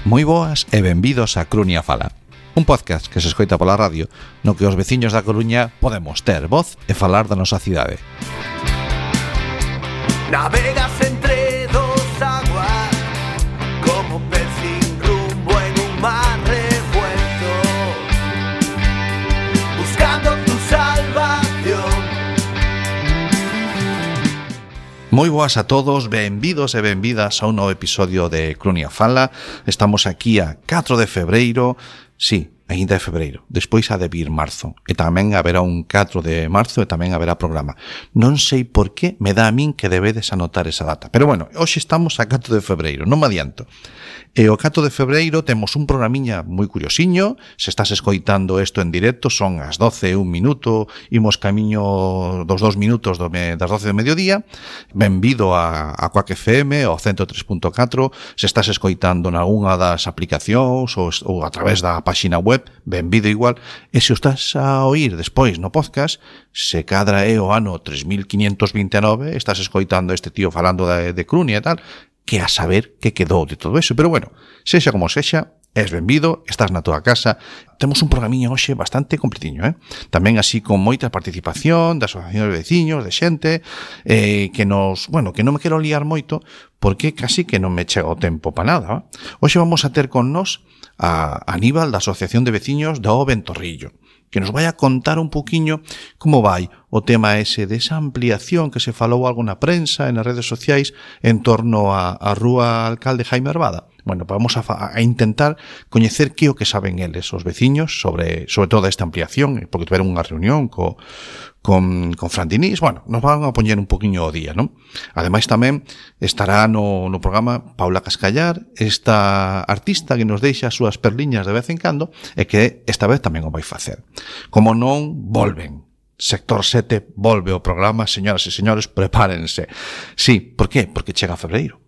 Moi boas e benvidos a Clunia Fala, un podcast que se escoita pola radio no que os veciños da Coruña podemos ter voz e falar da nosa cidade. Navegas entre dos aguas como pez sin rumbo en un mar revuelto, buscando tu salvación. Moi boas a todos, benvidos e benvidas a un novo episodio de Clunia Fala. Estamos aquí a 4 de febreiro, sí, ainda é febreiro, despois ha de vir marzo, e tamén haberá un 4 de marzo e tamén haberá programa. Non sei por que me dá a min que debedes anotar esa data, pero bueno, hoxe estamos a 4 de febreiro, non me adianto. E o 4 de febreiro temos un programiña moi curiosiño. Se estás escoitando isto en directo, son as 12 e un minuto, imos camiño dos 2 minutos das 12 do mediodía. Benvido a Quack FM, ao 103.4. Se estás escoitando nalgúna das aplicacións ou a través da páxina web, benvido igual. E se o estás a oír despois no podcast, se cadra é o ano 3529, estás escoitando este tío falando de Clunia e tal, que a saber que quedou de todo eso. Pero bueno, sexa como sexa, és benvido, estás na tua casa. Temos un programiño hoxe bastante completiño, Tamén así con moita participación da asociación de veciños, de xente, que nos, bueno, que non me quero liar moito, porque casi que non me chega o tempo para nada. Hoxe vamos a ter con nos a Aníbal da Asociación de Veciños do Ventorrillo, que nos vai a contar un poquinho como vai o tema ese desa ampliación que se falou algo na prensa e nas redes sociais en torno a Rúa Alcalde Jaime Arbada. Bueno, vamos a intentar coñecer que o que saben eles, os veciños, sobre toda esta ampliación, porque tiveron unha reunión con Fran Diniz. Bueno, nos van a poñer un poquinho o día, non? Ademais tamén estará no programa Paula Cascallar, esta artista que nos deixa as súas perliñas de vez en cando e que esta vez tamén o vai facer. Como non, volven. Sector 7 volve o programa, señoras e señores, prepárense. Sí, por qué? Porque chega febreiro.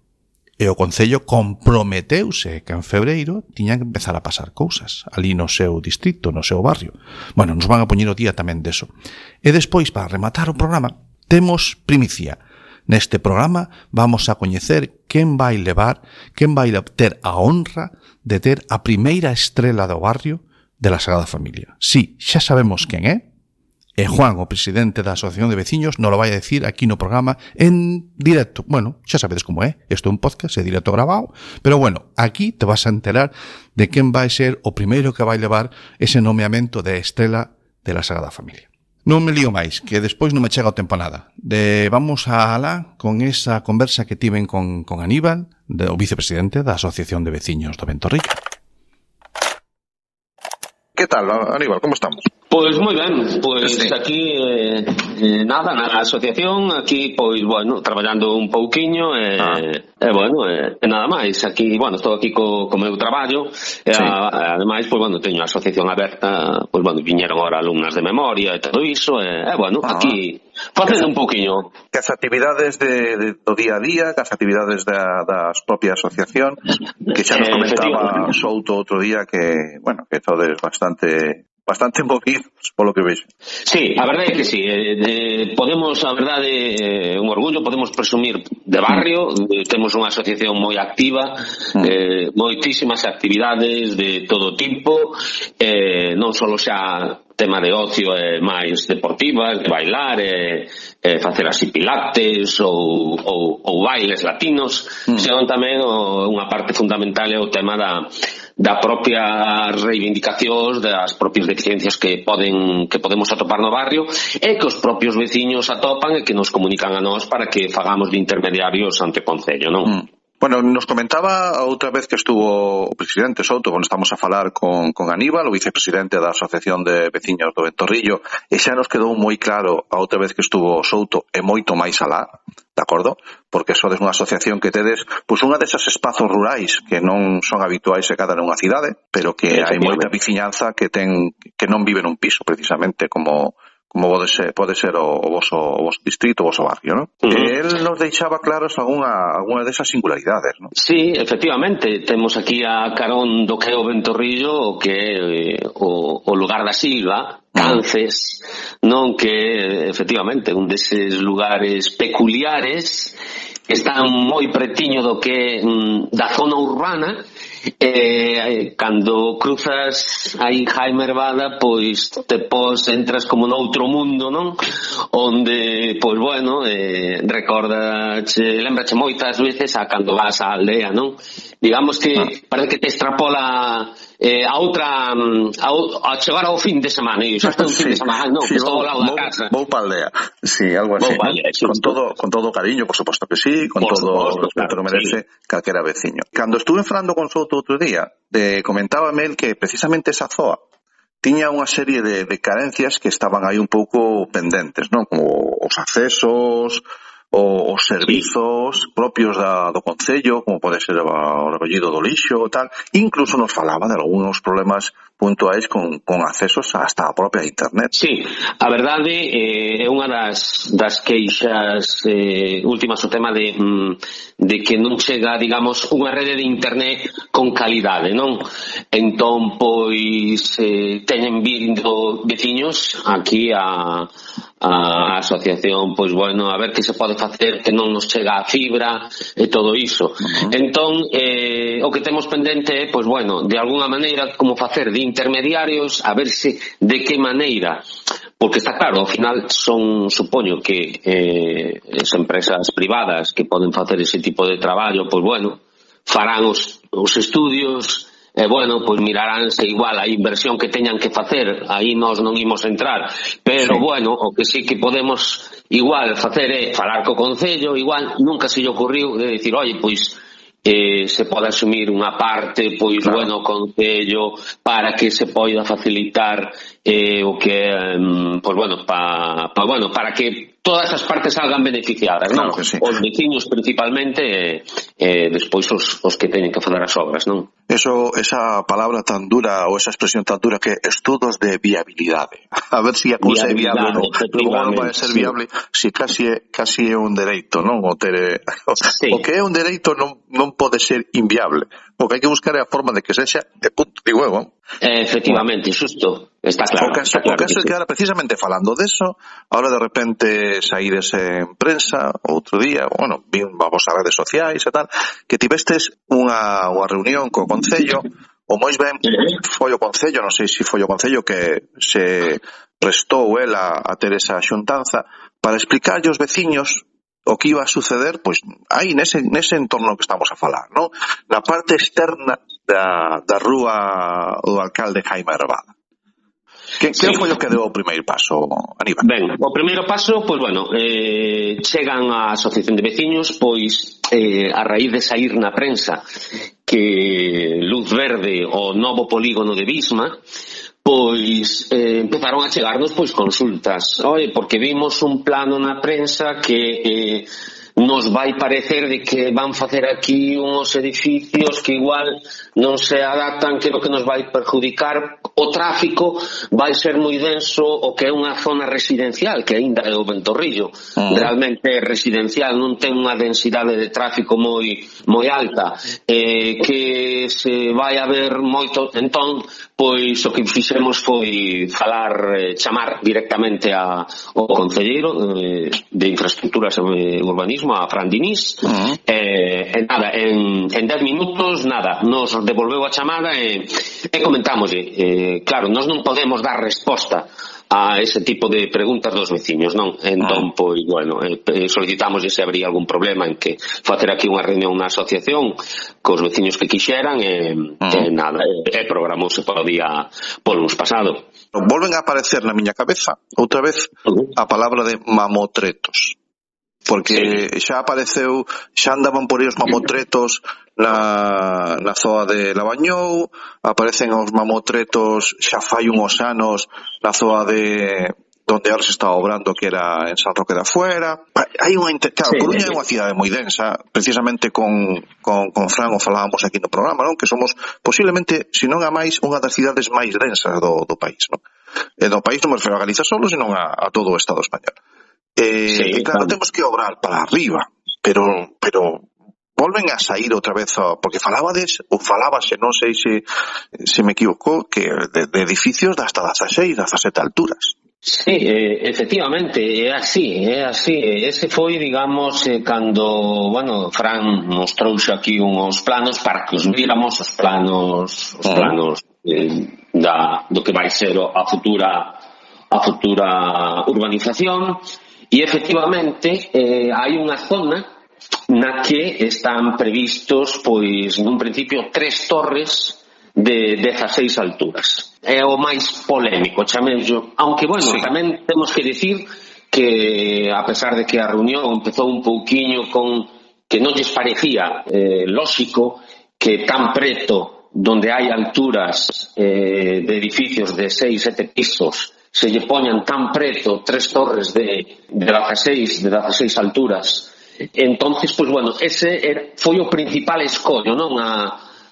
E o Concello comprometeuse que en febreiro tiñan que empezar a pasar cousas ali no seu distrito, no seu barrio. Bueno, nos van a poñer o día tamén deso. E despois, para rematar o programa, temos primicia. Neste programa vamos a coñecer quen vai ter a honra de ter a primeira estrela do barrio de la Sagrada Familia. Sí, xa sabemos quen é. E Juan, o presidente da Asociación de Veciños, nos lo vai a decir aquí no programa en directo. Bueno, xa sabedes como é. Isto é un podcast, é directo grabado. Pero bueno, aquí te vas a enterar de quen vai ser o primeiro que vai levar ese nomeamento de estrela de la Sagrada Familia. Non me lío máis, que despois non me chega o tempo a nada. Vamos a alá con esa conversa que tiven con Aníbal, o vicepresidente da Asociación de Veciños do Ventorrillo. ¿Qué tal, Aníbal? ¿Cómo estamos? Pois moi ben, pois sí. Aquí nada, na asociación, aquí pois, bueno, traballando un pouquiño nada máis. Aquí, bueno, estou aquí co meu traballo e sí. Ademais, pois, bueno, teño a asociación aberta, pois, bueno, viñeron agora alumnas de memoria e todo iso, bueno, aquí facendo un pouquiño. Que as actividades do día a día, que as actividades das propia asociación, que xa nos comentaba Souto outro día que, bueno, que todes bastante movidos, polo que vexo. Sí, a verdade é que sí. Podemos, a verdade, un orgullo, podemos presumir de barrio. Temos unha asociación moi activa, moitísimas actividades de todo tipo, non só xa tema de ocio e máis deportivas, de bailar, facer así pilates ou bailes latinos, senón tamén unha parte fundamental é o tema da propia reivindicacións das propias deficiencias que podemos atopar no barrio e que os propios veciños atopan e que nos comunican a nós para que fagamos de intermediarios ante o Concello, non? Bueno, nos comentaba outra vez que estuvo o presidente Souto, quando estamos a falar con Aníbal, o vicepresidente da Asociación de Veciños do Ventorrillo, e xa nos quedou moi claro a outra vez que estuvo Souto e moito máis alá, de acordo? Porque sodes unha asociación que tedes pois unha desas espazos rurais que non son habituais e cada nunha cidade, pero que hai moita veciñanza que non vive nun piso, precisamente, como pode ser o voso distrito, o voso barrio, non? El nos deixaba claros algunha desas singularidades, non? Sí, efectivamente, temos aquí a carón do que é o Ventorrillo, o que é o lugar da Silva, Cances, non, que efectivamente un deses lugares peculiares que están moi pretiño do que da zona urbana cando cruzas aí Jaime Herbada, pois entras como noutro mundo, non? Onde, pois bueno, lembrache moitas veces a cando vas á aldea, non? Digamos que parece que te extrapola a outra a chegar ao fin de semana, e xa está un fin de semana, non, que estou ao lado da casa. Vou pa aldea, sí, algo así, con todo cariño, por suposto que sí, con todo o respeto que merece calquera veciño. Cando estuve falando con Souto outro día, comentábame el que precisamente esa zoa tiña unha serie de carencias que estaban aí un pouco pendentes, non? Como os accesos, os servizos propios do Concello, como pode ser o recollido do lixo e tal. Incluso nos falaba de algúns problemas puntuais con accesos hasta a propia internet. Sí, a verdade é unha das queixas últimas, o tema de que non chega, digamos, unha rede de internet con calidade, non? Entón, pois, teñen vindo veciños aquí a asociación, pois bueno, a ver que se pode facer, que non nos chega a fibra e todo iso. Entón, o que temos pendente é, pois bueno, de alguna maneira como facer de intermediarios, a ver se de que maneira, porque está claro, ao final supoño que as empresas privadas que poden facer ese tipo de traballo, pois bueno, farán os estudios, bueno, pois miraránse igual a inversión que teñan que facer, aí nós non imos entrar, pero sí. Bueno, o que sí que podemos igual facer é falar co Concello, igual nunca se lle ocurriu de dicir, oye, pois se pode asumir unha parte, pois claro. Bueno, o Concello para que se poida facilitar o que pois bueno, para que todas as partes salgan beneficiadas, claro, non? Sí. Os veciños principalmente despois os que teñen que fazer as obras, non? Esa palabra tan dura ou esa expresión tan dura que estudos de viabilidade. A ver se a cousa é viable ou non. Como vai ser viable se casi é un dereito, non? O que é un dereito non pode ser inviable. O que hai que buscar é a forma de que sexa de punto, digo eu. Efectivamente, xusto. Está claro. O caso é que ahora precisamente falando deso, ahora de repente saídes en prensa outro día, bueno, vin vos a redes sociais e tal, que tivestes unha reunión co Concello, o moi ben foi o Concello, non sei se foi o Concello que se prestou ela a ter esa xuntanza para explicarlle aos veciños o que iba a suceder, pois aí nese entorno que estamos a falar, non? Na parte externa da rúa do alcalde Jaime Herbada. Que foi o que deu o primeiro paso, Aníbal? Ben, o primeiro paso, pois bueno, chegan á Asociación de Veciños, pois a raíz de sair na prensa que Luz Verde, o novo polígono de Visma, pois empezaron a chegarnos pois consultas. Oye, porque vimos un plano na prensa que nos vai parecer de que van facer aquí uns edificios que igual non se adaptan, que é o que nos vai perjudicar, o tráfico vai ser moi denso, o que é unha zona residencial, que aínda é o Ventorrillo, realmente é residencial, non ten unha densidade de tráfico moi alta, que se vai a ver moito, entón, pois o que fixemos foi chamar directamente ao concelleiro de Infraestructuras e Urbanismo, a Fran Diniz, nada, en 10 minutos, nada, nos devolveu a chamada e comentámoslle, claro, nós non podemos dar resposta a ese tipo de preguntas dos veciños, non? Entón, pois, bueno, solicitamos se habría algún problema en que facer aquí unha reunión na asociación cos veciños que quixeran e nada, programouse para o día luns pasado. Volven a aparecer na miña cabeza outra vez a palabra de mamotretos, porque xa apareceu, xa andaban por aí os mamotretos na zoa de Labañou, aparecen os mamotretos xa fai uns anos na zoa de donde ahora se está obrando, que era en San Roque da Fuera. Hai claro, Coruña é unha cidade moi densa, precisamente con Fran o falábamos aquí no programa, non? Que somos posiblemente, se non a máis, unha das cidades máis densas do país, non? E do país non me refiro a Galiza solo, senón a todo o Estado español. E claro, temos que obrar para arriba, pero volven a sair outra vez, porque falábase, non sei se me equivoco, que de edificios de hasta 16, 17 alturas. Sí, efectivamente, é así. Ese foi, digamos, cando, bueno, Fran mostrou aquí uns planos para que os víramos, os planos do que vai ser a futura urbanización, e efectivamente hai unha zona na que están previstos, pois, nun principio, 3 torres de 16 alturas. É o máis polémico, chamello. Aunque, bueno, sí, tamén temos que dicir que, a pesar de que a reunión empezou un pouquiño con que non lles parecía lóxico que tan preto, donde hai alturas de edificios de 6-7 pisos, se lle poñan tan preto 3 torres de 16 alturas. Entonces, pues bueno, ese foi o principal escollo, non,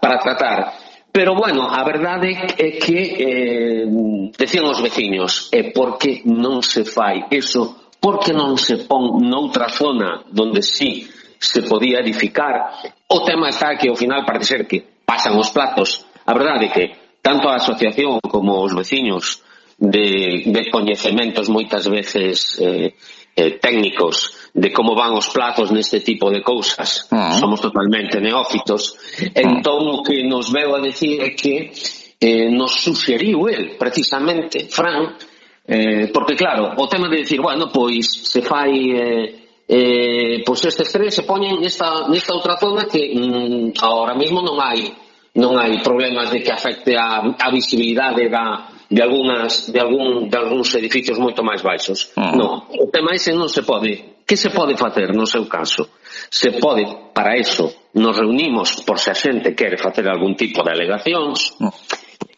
para tratar. Pero, bueno, a verdade é que decían os veciños, por que non se fai eso, por que non se pon noutra zona donde sí se podía edificar. O tema está que ao final parece ser que pasan os platos. A verdade é que tanto a asociación como os veciños de coñecementos moitas veces técnicos de como van os plazos neste tipo de cousas, somos totalmente neófitos. Entón o que nos veu a decir é que nos suxeriu el, precisamente, Fran, porque claro, o tema de decir, bueno, pois se fai pois estes 3 se poñen nesta outra zona que ahora mesmo non hai problemas de que afecte a visibilidade de algúns edificios moito máis baixos. Non, o tema ese non se pode. Que se pode facer no seu caso? Se pode, para eso, nos reunimos por se a xente quere facer algún tipo de alegacións,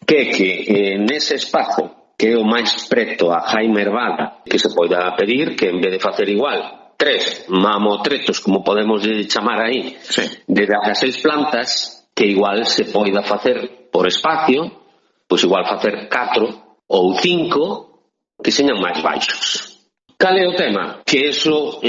que nese espazo, que é o máis preto a Jaime Hervada, que se poida pedir que en vez de facer igual 3 mamotretos, como podemos chamar aí, de 16 plantas, que igual se poida facer por espacio, pois igual facer 4 ou 5 que señan máis baixos. Cal é o tema? Que eso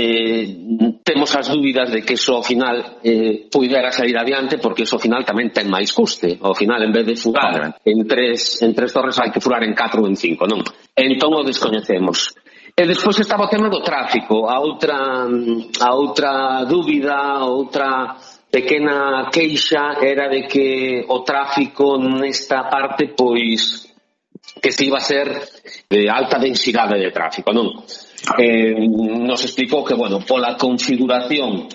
temos as dúbidas de que eso ao final puidera sair adiante, porque eso ao final tamén ten máis custe. Ao final, en vez de furar en tres torres, hai que furar en 4 ou en 5, non? Entón o descoñecemos. E despois estaba o tema do tráfico. A outra dúbida, outra pequena queixa era de que o tráfico nesta parte, pois, que se iba a ser de alta densidade de tráfico, non? Nos explicou que, bueno, pola configuración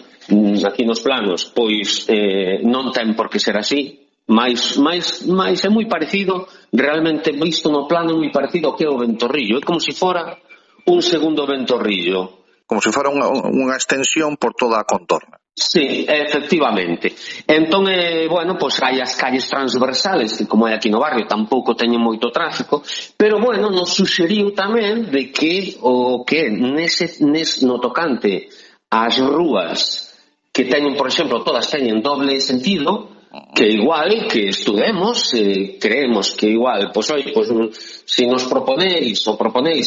aquí nos planos, pois non ten por que ser así, mas é moi parecido, realmente visto no plano, é moi parecido ao que é o Ventorrillo. É como se fora un segundo Ventorrillo. Como se fora unha extensión por toda a contorna. Sí, efectivamente. Entón, bueno, pois hai as calles transversales, que como é aquí no barrio tampouco teñen moito tráfico, pero bueno, nos suxeriu tamén de que o que no tocante ás rúas que teñen, por exemplo, todas teñen doble sentido, que igual que estudemos, creemos que igual, pois oi, pois se nos proponéis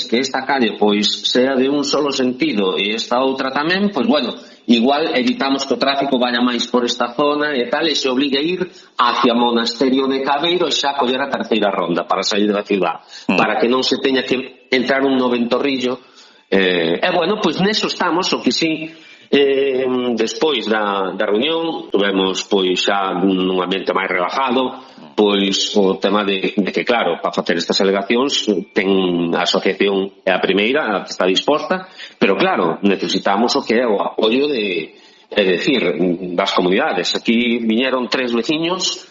que esta calle pois sea de un solo sentido e esta outra tamén, pois bueno, igual evitamos que o tráfico vaya máis por esta zona e tal, e se obligue a ir hacia Monasterio de Cabeiro e xa coller a terceira ronda para sair da ciudad, para que non se teña que entrar un no Ventorrillo. E bueno, pois neso estamos, o que sí, despois da reunión tuvemos pois xa nun ambiente máis relajado, pois o tema de que claro, para facer estas alegacións ten a asociación é a primeira que está disposta, pero claro, necesitamos o que é o apoio das comunidades. Aquí viñeron 3 veciños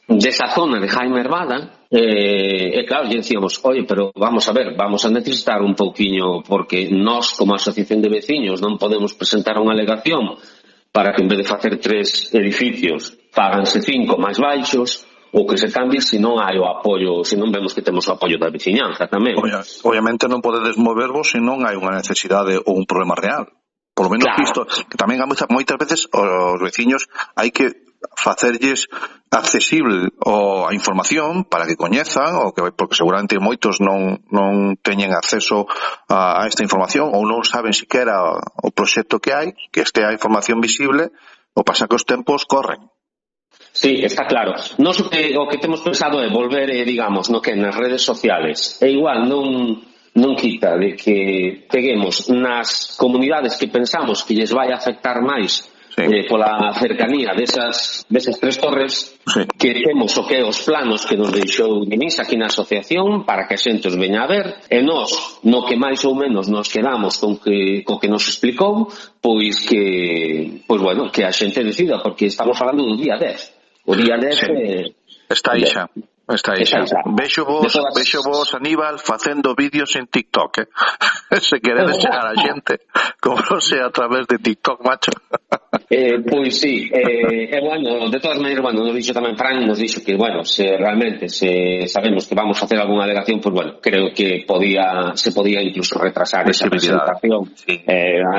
desa zona de Jaime Hervada, e claro, lle decíamos, oye, pero vamos a ver, vamos a necesitar un pouquiño, porque nós como asociación de veciños non podemos presentar unha alegación para que en vez de facer 3 edificios fáganse 5 máis baixos, ou que se cambie se non hai o apoio, se non vemos que temos o apoio da veciñanza tamén. Obviamente non podedes movervos se non hai unha necesidade ou un problema real. Por lo menos claro. Visto que tamén moitas veces os veciños hai que facerlles accesible a información para que coñezan, porque seguramente moitos non teñen acceso a esta información ou non saben siquera o proxecto que hai, que estea a información visible, o pasa que os tempos corren. Sí, está claro. Nos o que temos pensado é volver, digamos, no que nas redes sociales, e igual non non quita de que peguemos nas comunidades que pensamos que lles vai afectar máis pola cercanía deses tres torres, que temos o que os planos que nos deixou Denise aquí na asociación para que a xente os veña a ver, e nós, no que máis ou menos nos quedamos co que nos explicou, pois que a xente decida, porque estamos falando do día 10. O día 10 está aí xa. Vexo vos, Aníbal, facendo vídeos en TikTok, se queredes chegar a xente, como non sea a través de TikTok, macho. Pois sí, bueno, de todas maneiras, nos dixo tamén Fran, nos dixo que, se realmente sabemos que vamos a hacer algunha delegación, creo que se podía incluso retrasar esa presentación.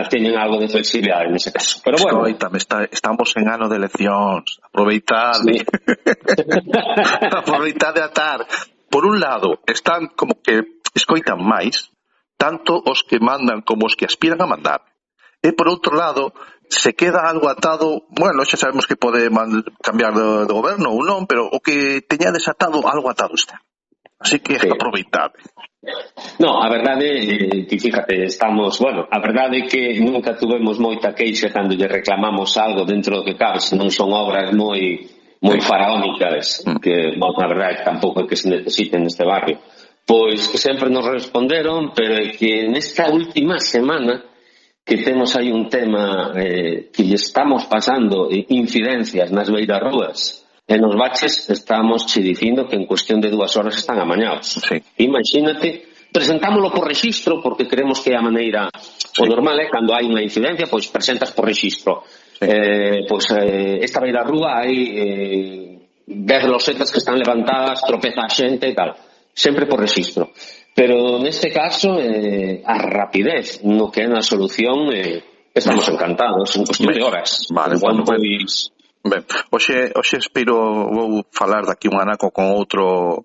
Teñen algo de flexibilidade nese caso. Pero bueno, estamos en ano de eleccións, aproveitade. Aproveitade a atar. Por un lado, están como que escoitan máis, tanto os que mandan como os que aspiran a mandar. E por outro lado, se queda algo atado, xa sabemos que pode cambiar de goberno ou non, pero o que teña desatado, algo atado está. Así que aproveitade. No, a verdade, fíjate, a verdade é que nunca tuvemos moita queixa cando lle reclamamos algo dentro do que cabe, se non son obras moi faraónicas, que, a verdade, tampouco é que se necesiten neste barrio. Pois que sempre nos responderon, pero é que nesta última semana que temos aí un tema que lle estamos pasando incidencias nas beirarrúas e nos baches, estamos che dicindo que en cuestión de 2 horas están amañados. Imagínate, presentámoslo por rexistro porque creemos que é a maneira, o normal é cando hai unha incidencia, pois presentas por rexistro. Esta beirarrúa hai 10 losetas que están levantadas, tropeza a xente e tal, sempre por rexistro. Pero neste caso, a rapidez no que é na solución, estamos encantados, en cuestión de horas. Vale, ben, hoxe vou falar daqui un anaco con outro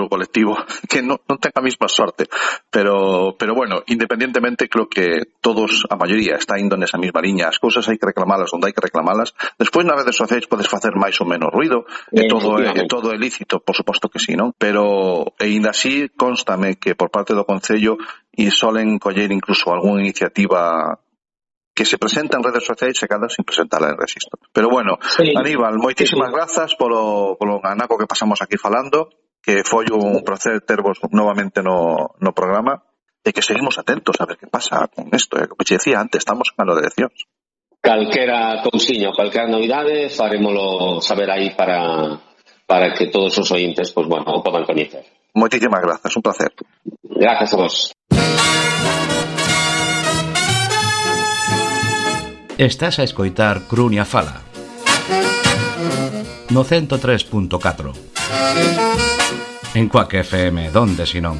colectivo que non ten a mesma sorte, pero bueno, independientemente, creo que todos, a maioría, está indo nesa mesma liña. As cousas hai que reclamalas onde hai que reclamalas. Despois nas redes sociais podes facer máis ou menos ruido, e todo é lícito, por suposto que sí, non? Pero ainda así constame que por parte do Concello solen coller incluso algunha iniciativa que se presenta en redes sociais e cada sin presentarla en registro. Pero bueno, Aníbal, moitísimas grazas polo anaco que pasamos aquí falando, que foi un placer tervos novamente no programa, e que seguimos atentos a ver que pasa con isto. Como te decía antes, estamos en ano de eleccións. Calquera cousiño, calquera novidade, farémolo saber aí para que todos os ointes o podan coñecer. Moitísimas grazas, un placer. Grazas a vos. Estás a escoitar Crunia Fala no 103.4 en Cuac FM, donde si non.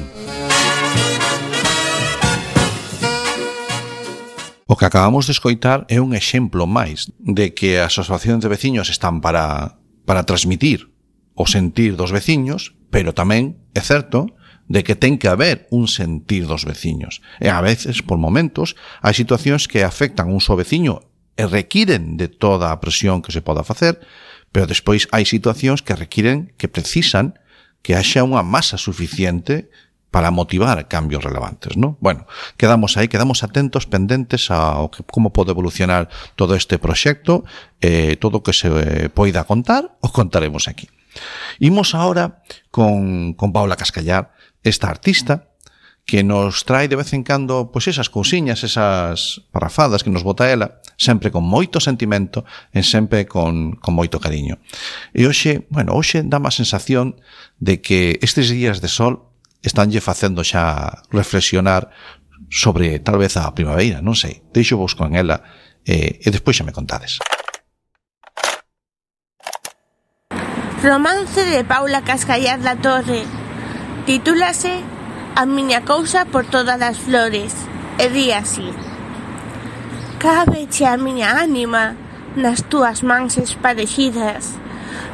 O que acabamos de escoitar é un exemplo máis de que as asociacións de veciños están para transmitir o sentir dos veciños, pero tamén é certo de que ten que haber un sentir dos veciños. E a veces, por momentos, hai situacións que afectan un só veciño e requiren de toda a presión que se poda facer, pero despois hai situacións que precisan que haxa unha masa suficiente para motivar cambios relevantes, ¿no? Bueno, quedamos atentos, pendentes a como pode evolucionar todo este proxecto, todo o que se poida contar, o contaremos aquí. Imos ahora con Paula Cascallar, esta artista, que nos trae de vez en cando esas cousiñas, esas parrafadas que nos bota ela, sempre con moito sentimento e sempre con moito cariño. E hoxe dá má sensación de que estes días de sol estánlle facendo xa reflexionar sobre tal vez a primavera, non sei. Deixo vos con ela e despois xa me contades. Romance de Paula Cascallar da Torre. Titúlase A miña cousa por todas as flores, e di así: Cábeche a miña ánima nas túas mans esparexidas,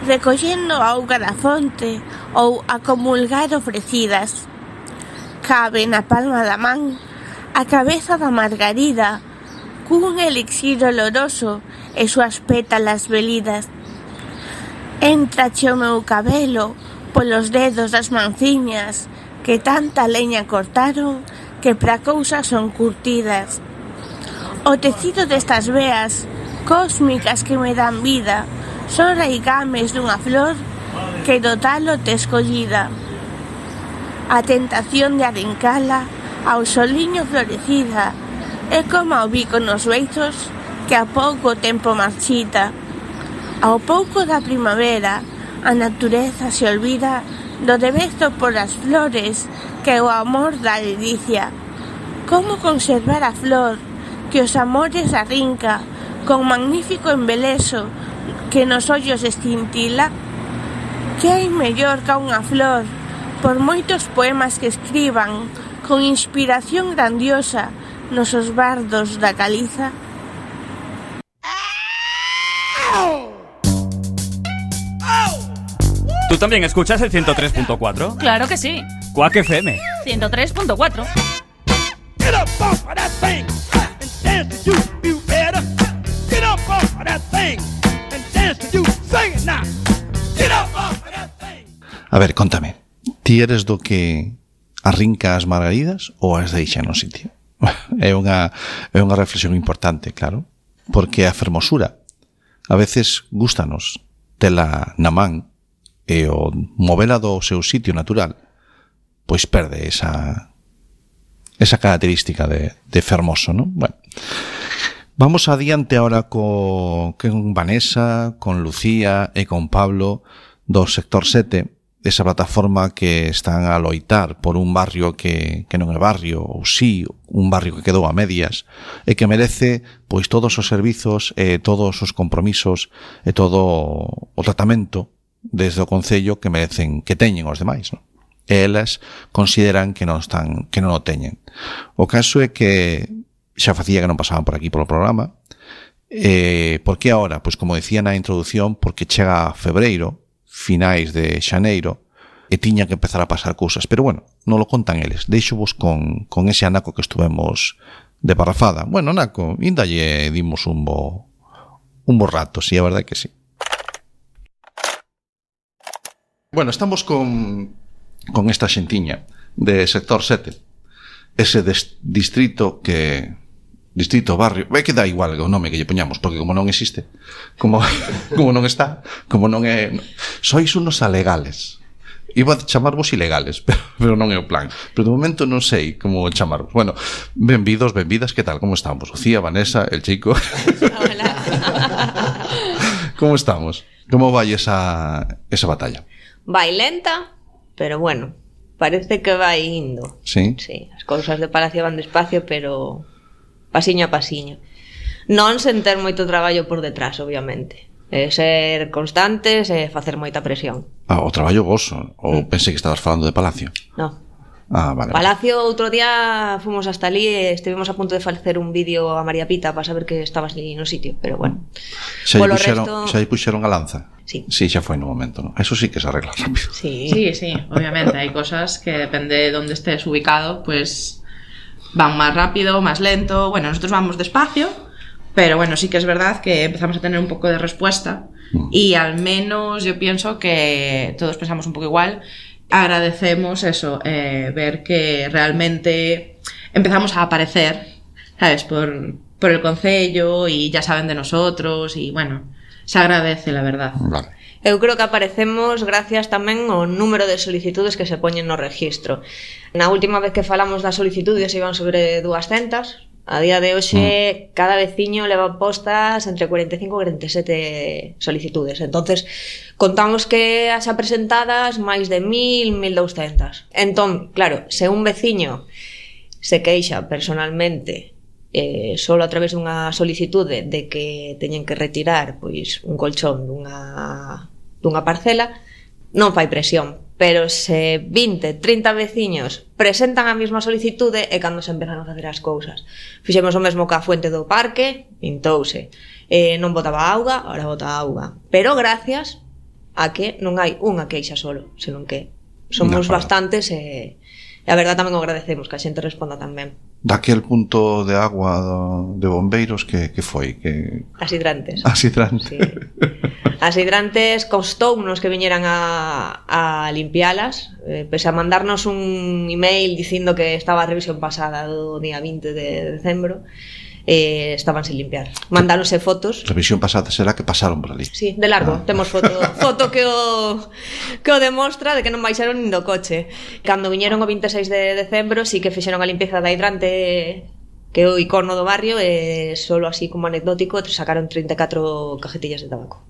recollendo a auga da fonte ou a comulgar ofrecidas. Cabe na palma da man a cabeza da margarida, cun elixir oloroso e súas pétalas velidas. Entrache o meu cabelo polos dedos das manciñas, que tanta leña cortaron que pra cousas son curtidas. O tecido destas veas cósmicas que me dan vida son raigames dunha flor que do talo te escollida. A tentación de arrincala ao soliño florecida é como o bico nos beizos que a pouco tempo marchita. Ao pouco da primavera a natureza se olvida do devezo por as flores que o amor dá delicia. Como conservar a flor que os amores arrinca con magnífico embeleso que nos ollos estintila? Que hai mellor ca unha flor, por moitos poemas que escriban con inspiración grandiosa nosos bardos da caliza? ¿Tú también escuchas el 103.4? Claro que sí. Quack FM. 103.4. Get up off of that thing and dance to you better. Get up off of that thing and dance to you. Sing it now. Get up off of that thing. A ver, contame. Ti eres do que arrinca as margaridas ou as deixa no sitio? É unha reflexión importante, claro, porque a fermosura a veces gústanos tela na man e o movela do seu sitio natural pois perde esa característica de fermoso, ¿no? Bueno, vamos adiante ahora con Vanessa, con Lucía e con Pablo do Sector 7, esa plataforma que están a loitar por un barrio que non é barrio, ou sí, un barrio que quedou a medias e que merece pois todos os servizos e todos os compromisos e todo o tratamento desde o Concello que merecen, que teñen os demais, non? E elas consideran que non o teñen. O caso é que xa facía que non pasaban por aquí polo programa. Por que agora? Pois como decía na introducción, porque chega febreiro, finais de xaneiro, e tiña que empezar a pasar cousas. Pero bueno, non lo contan eles. Deixo-vos con ese anaco que estuvemos de parrafada. Bueno, anaco, ainda lle dimos un bo rato, sí, a verdade que sí. Bueno, estamos con esta xentiña de Sector 7, ese distrito barrio, que dá igual o nome que lle poñamos, porque como non existe, como non está, como non é, sois unos alegales. Iba a chamarvos ilegales, pero non é o plan. Pero de momento non sei como chamarvos. Bueno, benvidos, benvidas, que tal? Como estamos? Lucía, Vanessa, el chico. Hola. Como estamos? Como vai esa batalla? Vai lenta, pero bueno, parece que vai indo. Sí? Sí, as cousas de Palacio van despacio, pero pasiño a pasiño. Non sen ter moito traballo por detrás, obviamente. Ser constantes e facer moita presión. O traballo voso? Ou pensei que estabas falando de Palacio? No. Vale. Palacio, outro día fomos hasta ali e estivemos a punto de facer un vídeo a María Pita para saber que estabas ali no sitio, pero bueno. Xa lle puxeron a lanza? Sí. Sí, xa foi no momento, ¿no? Eso sí que se arregla rápido. Sí, obviamente, hai cosas que depende de onde estés ubicado, pues van más rápido, más lento. Bueno, nosotros vamos despacio, pero bueno, sí que es verdad que empezamos a tener un poco de respuesta y al menos yo pienso que todos pensamos un poco igual. Agradecemos eso, ver que realmente empezamos a aparecer, ¿sabes? Por el concello y ya saben de nosotros y bueno, se agradece, la verdad. Vale. Eu creo que aparecemos gracias tamén ao número de solicitudes que se poñen no registro. Na última vez que falamos das solicitudes iban sobre 200. A día de hoxe cada veciño leva postas entre 45 e 47 solicitudes. Entonces contamos que as presentadas máis de 1000, 1200. Entón, claro, se un veciño se queixa personalmente solo a través dunha solicitude de que teñen que retirar pois un colchón dunha parcela, non fai presión. Pero se 20, 30 veciños presentan a mesma solicitude é cando se empezan a facer as cousas. Fixemos o mesmo ca fuente do parque, pintouse. Non botaba auga, ahora bota auga. Pero gracias a que non hai unha queixa solo, senón que somos bastantes e a verdad tamén o agradecemos que a xente responda tamén. Daquel punto de agua de bombeiros que foi? As hidrantes. As hidrantes. Sí. As hidrantes costounos que viñeran a limpialas, pese a mandarnos un email dicindo que estaba a revisión pasada do día 20 de decembro, estaban sin limpiar. Mandáronse fotos. Revisión pasada será que pasaron por ali. Sí, de largo, temos foto que o demostra de que non baixaron nin do coche. Cando viñeron o 26 de decembro, sí que fixeron a limpeza da hidrante, que é o icono do barrio, e solo así como anecdótico sacaron 34 cajetillas de tabaco.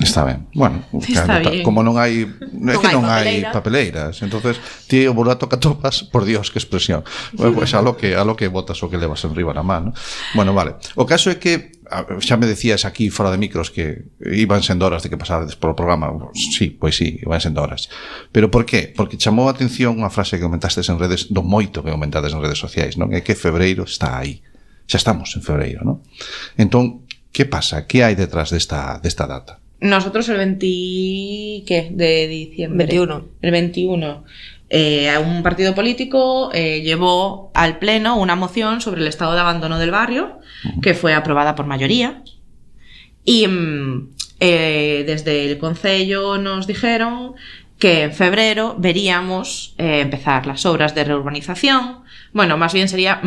Está ben. Bueno, Está bien. como non hai non hai papeleiras, entonces ti o burato que atopas, por Dios, que expresión. Bueno, pues a lo que botas o que levas enriba na man, ¿no? Bueno, vale. O caso é que xa me decías aquí fora de micros que iban sendo horas de que pasades polo programa. Sí, pois sí, iban sendo horas. Pero por qué? Porque chamou a atención unha frase que comentastes en redes, do moito que comentades en redes sociais, non? É que febreiro está aí. Xa estamos en febreiro, non? Entón, que pasa? Que hai detrás desta data? Nosotros el 20 de diciembre, 21. El 21, un partido político llevó al pleno una moción sobre el estado de abandono del barrio, que fue aprobada por mayoría, y desde el concello nos dijeron que en febrero veríamos empezar las obras de reurbanización. Bueno, más bien sería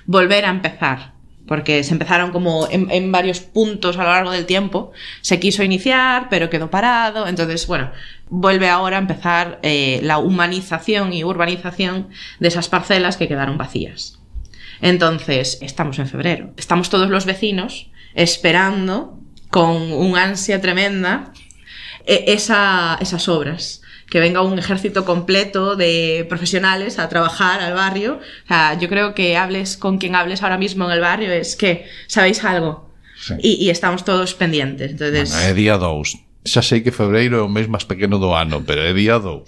volver a empezar, porque se empezaron como en varios puntos a lo largo del tiempo. Se quiso iniciar, pero quedó parado. Entonces, bueno, vuelve ahora a empezar la humanización y urbanización de esas parcelas que quedaron vacías. Entonces, estamos en febrero. Estamos todos los vecinos esperando con un ansia tremenda esas obras. Que venga un ejército completo de profesionales a trabajar al barrio. O sea, yo creo que hables con quien hables ahora mismo en el barrio, es que sabéis algo. Sí. Y estamos todos pendientes. Entonces... Bueno, é día 2. Xa sei que febreiro é o mes máis pequeno do ano, pero é día 2.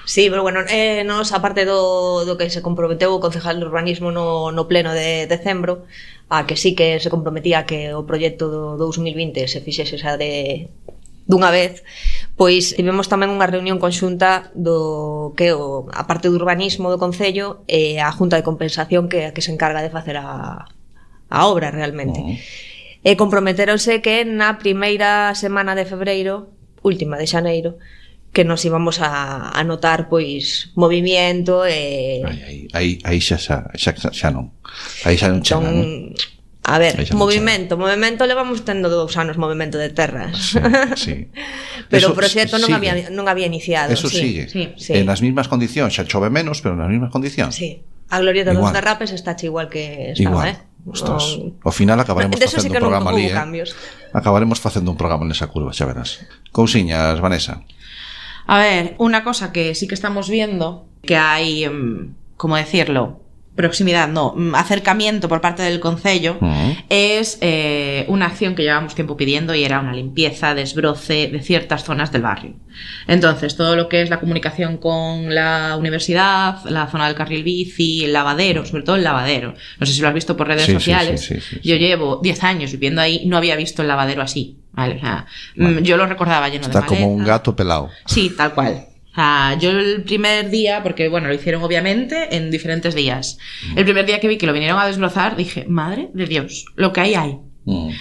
Sí, pero bueno, nos, aparte do que se comprometeu o concejal de urbanismo no pleno de decembro, a que sí que se comprometía que o proxecto do 2020 se fixese xa dunha vez, pois tivemos tamén unha reunión conxunta do que a parte do urbanismo do concello e a Junta de Compensación que se encarga de facer a obra realmente. E comprometeronse que na primeira semana de febreiro, última de xaneiro, que nos íbamos a notar pois movimiento e aí xa non. Aí xa non chega, non? A ver, movimento levamos tendo 2 anos movimento de terras. Sí. Pero o proxecto non había iniciado. Eso sigue. Sí. En as mismas condicións, xa chove menos, pero nas mismas condicións. Sí. A glorieta dos derrapes está igual que estaba, Ostras, ao final acabaremos facendo un programa ali, Acabaremos facendo un programa nesa curva, xa verás. Cousiñas, Vanessa. A ver, una cosa que sí que estamos viendo, que hay, ¿cómo decirlo? Proximidad, no, acercamiento por parte del concello, es una acción que llevamos tiempo pidiendo y era una limpieza, desbroce de ciertas zonas del barrio. Entonces, todo lo que es la comunicación con la universidad, la zona del carril bici, el lavadero, sobre todo el lavadero. No sé si lo has visto por redes sociales. Sí. Yo llevo 10 años viviendo ahí, no había visto el lavadero así. Vale, o sea, yo lo recordaba lleno de maleza. Está como un gato pelado. Sí, tal cual. Yo el primer día, porque bueno, lo hicieron obviamente en diferentes días. El primer día que vi que lo vinieron a desbrozar, dije, madre de Dios, lo que hay.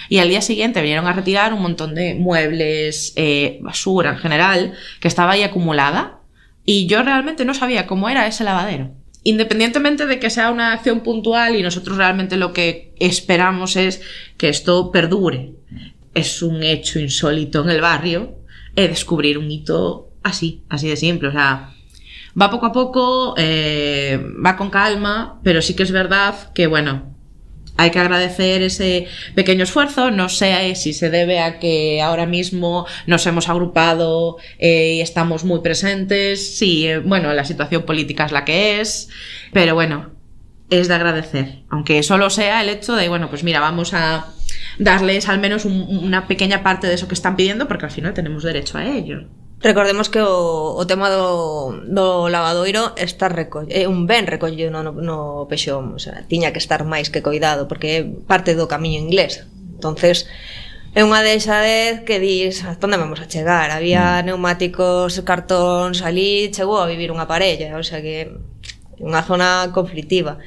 Y al día siguiente vinieron a retirar un montón de muebles, basura en general, que estaba ahí acumulada. Y yo realmente no sabía cómo era ese lavadero. Independientemente de que sea una acción puntual y nosotros realmente lo que esperamos es que esto perdure. Es un hecho insólito en el barrio, descubrir un hito así de simple, o sea, va poco a poco, va con calma, pero sí que es verdad que, bueno, hay que agradecer ese pequeño esfuerzo. No sé si se debe a que ahora mismo nos hemos agrupado y estamos muy presentes. Sí, bueno, la situación política es la que es, pero bueno, es de agradecer, aunque solo sea el hecho de, bueno, pues mira, vamos a darles al menos una pequeña parte de eso que están pidiendo, porque al final tenemos derecho a ello. Recordemos que o tema do lavadoiro está un ben recollido no Pexón, o sea, tiña que estar máis que coidado porque é parte do camiño inglés. Entonces, é unha deixadez que dis, onde vamos a chegar? Había neumáticos, cartóns ali, chegou a vivir unha parella, o sea que unha zona conflictiva.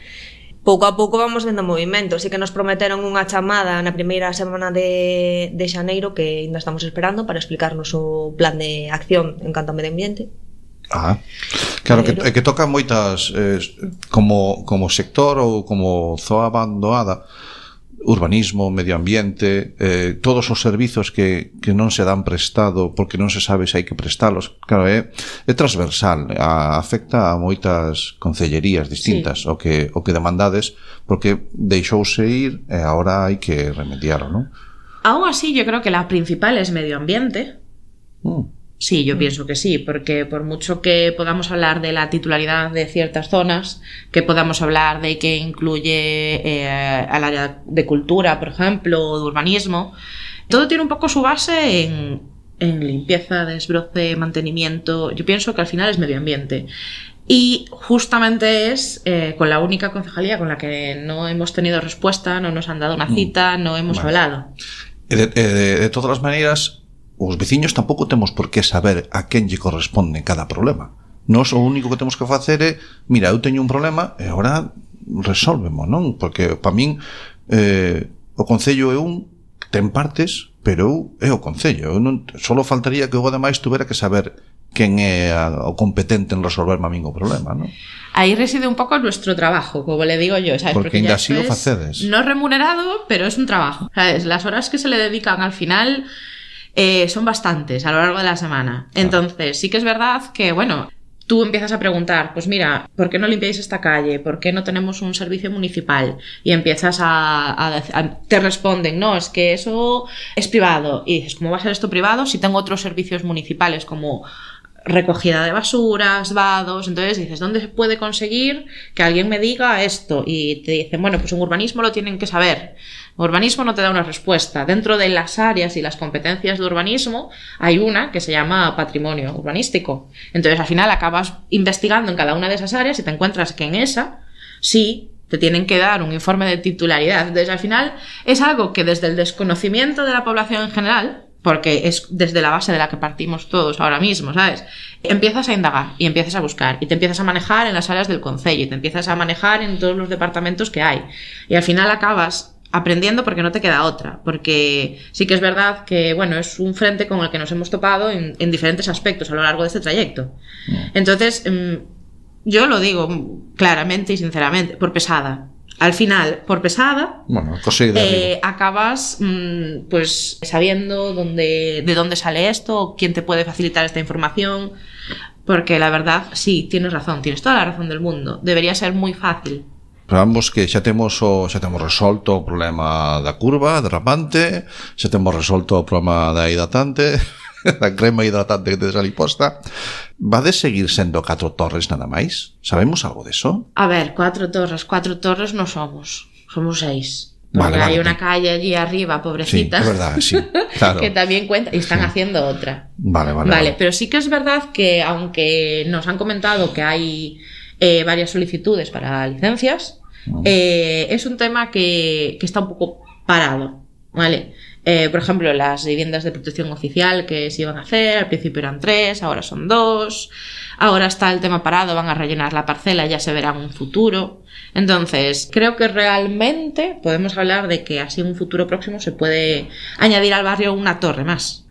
pouco a pouco vamos vendo movimento. Así que nos prometeron unha chamada na primeira semana de xaneiro que ainda estamos esperando para explicarnos o plan de acción en canto ao medio ambiente. Claro, que toca moitas como sector ou como zoa abandoada, urbanismo, medio ambiente, todos os servizos que non se dan prestado porque non se sabe se hai que prestalos. Claro, é transversal, afecta a moitas concellerías distintas, o que demandades, porque deixouse ir e agora hai que remediarlo, non? Aún así, yo creo que la principal es medio ambiente. Sí, yo pienso que sí, porque por mucho que podamos hablar de la titularidad de ciertas zonas, que podamos hablar de que incluye al área de cultura, por ejemplo, o de urbanismo, todo tiene un poco su base en limpieza, desbroce, mantenimiento. Yo pienso que al final es medio ambiente. Y justamente es con la única concejalía con la que no hemos tenido respuesta, no nos han dado una cita, no hemos hablado. De todas as maneiras, os veciños tampouco temos por que saber a quen lle corresponde cada problema. Nós o único que temos que facer é, mira, eu teño un problema e agora resólvemo, non? Porque para min o concello é ten partes, pero é o concello. Solo faltaría que o demais tuvera que saber quen é o competente en resolverme a min o problema, non? Ahí reside un poco nuestro trabajo, como le digo yo, ¿sabes? Porque ainda así o facedes. No remunerado, pero es un trabajo, ¿sabes? Las horas que se le dedican al final son bastantes a lo largo de la semana. Entonces, sí que es verdad que, bueno, tú empiezas a preguntar, pues mira, ¿por qué no limpiáis esta calle? ¿Por qué no tenemos un servicio municipal? Y empiezas te responden, no, es que eso es privado. Y dices, ¿cómo va a ser esto privado si tengo otros servicios municipales como recogida de basuras, vados? Entonces dices, ¿dónde se puede conseguir que alguien me diga esto? Y te dicen, bueno, pues en urbanismo lo tienen que saber. Urbanismo no te da una respuesta. Dentro de las áreas y las competencias de urbanismo hay una que se llama patrimonio urbanístico. Entonces al final acabas investigando en cada una de esas áreas y te encuentras que en esa sí te tienen que dar un informe de titularidad. Entonces al final es algo que desde el desconocimiento de la población en general, porque es desde la base de la que partimos todos ahora mismo, ¿sabes? Empiezas a indagar y empiezas a buscar y te empiezas a manejar en las áreas del concello y te empiezas a manejar en todos los departamentos que hay. Y al final acabas aprendiendo porque no te queda otra, porque sí que es verdad que, bueno, es un frente con el que nos hemos topado en diferentes aspectos a lo largo de este trayecto. Entonces, yo lo digo claramente y sinceramente, por pesada. Al final, por pesada, bueno, acabas pues sabiendo de dónde sale esto, quién te puede facilitar esta información, porque la verdad, sí, tienes razón, tienes toda la razón del mundo. Debería ser muy fácil. Pero vamos que xa temos resolto o problema da curva derrapante, xa temos resolto o problema da hidratante, da crema hidratante que tedes ali posta. Vades seguir sendo 4 torres nada máis? Sabemos algo deso? A ver, 4 torres no somos 6. Porque hay una calle allí arriba, pobrecita. Sí, es verdad, sí, claro. Que también cuenta, y están haciendo otra. Vale. Pero sí que es verdad que, aunque nos han comentado que hay varias solicitudes para licencias, es un tema que está un poco parado, ¿vale? Por ejemplo, las viviendas de protección oficial que se iban a hacer, al principio eran 3, ahora son 2, ahora está el tema parado, van a rellenar la parcela, ya se verá en un futuro. Entonces, creo que realmente podemos hablar de que así en un futuro próximo se puede añadir al barrio una torre más.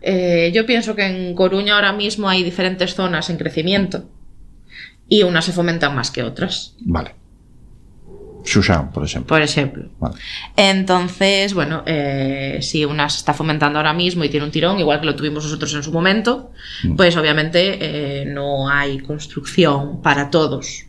Yo pienso que en Coruña ahora mismo hay diferentes zonas en crecimiento y unas se fomentan más que otras. Vale. Xuxán, por ejemplo. Vale. Entonces, bueno, si una se está fomentando ahora mismo y tiene un tirón, igual que lo tuvimos nosotros en su momento, pues obviamente no hay construcción para todos.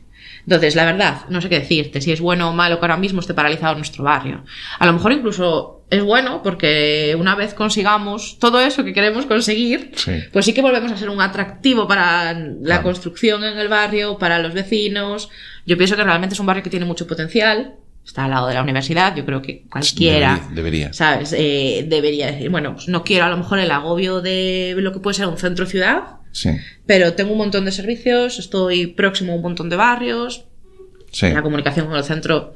Entonces, la verdad, no sé qué decirte, si es bueno o malo que ahora mismo esté paralizado nuestro barrio. A lo mejor incluso es bueno porque una vez consigamos todo eso que queremos conseguir, pues sí que volvemos a ser un atractivo para la construcción en el barrio, para los vecinos. Yo pienso que realmente es un barrio que tiene mucho potencial, está al lado de la universidad, yo creo que cualquiera debería. ¿Sabes? Debería decir, bueno, pues no quiero a lo mejor el agobio de lo que puede ser un centro ciudad, pero tengo un montón de servicios, estoy próximo a un montón de barrios, la comunicación con el centro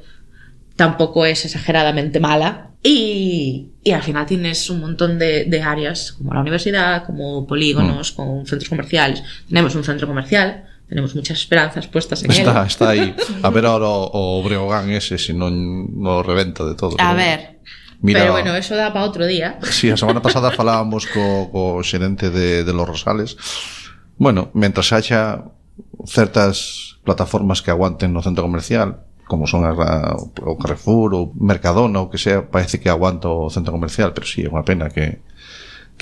tampoco es exageradamente mala y al final tienes un montón de áreas como la universidad, como polígonos, con centros comerciales. Tenemos un centro comercial tenemos muchas esperanzas puestas en él. Está aí. A ver ahora o Breogán ese, se non no reventa de todo. A ver, mira, pero bueno, eso dá para outro día. Sí, a semana pasada falábamos co xerente de Los Rosales. Bueno, mentras haxa certas plataformas que aguanten no centro comercial, como son o Carrefour ou Mercadona ou que sea, parece que aguanta o centro comercial, pero sí, é unha pena que